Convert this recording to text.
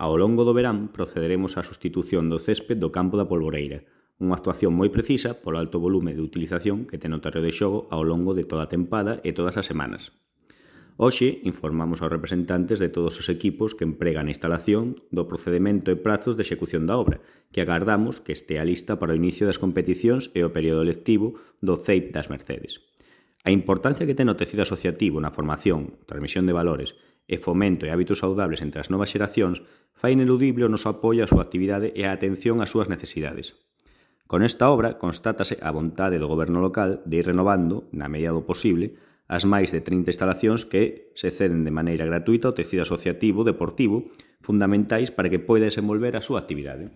Ao longo do verán procederemos á sustitución do césped do campo da Polvoreira, unha actuación moi precisa polo alto volume de utilización que ten o terreo de xogo ao longo de toda a tempada e todas as semanas. Hoxe informamos aos representantes de todos os equipos que empregan a instalación do procedimento e prazos de execución da obra, que agardamos que estea lista para o inicio das competicións e o período lectivo do CEIP das Mercedes. A importancia que ten o tecido asociativo na formación, transmisión de valores e fomento e hábitos saudables entre as novas xeracións fai ineludible o noso apoio á súa actividade e a atención ás súas necesidades. Con esta obra constátase a vontade do goberno local de ir renovando, na medida do posible, as máis de 30 instalacións que se ceden de maneira gratuita ao tecido asociativo deportivo fundamentais para que poida desenvolver a súa actividade.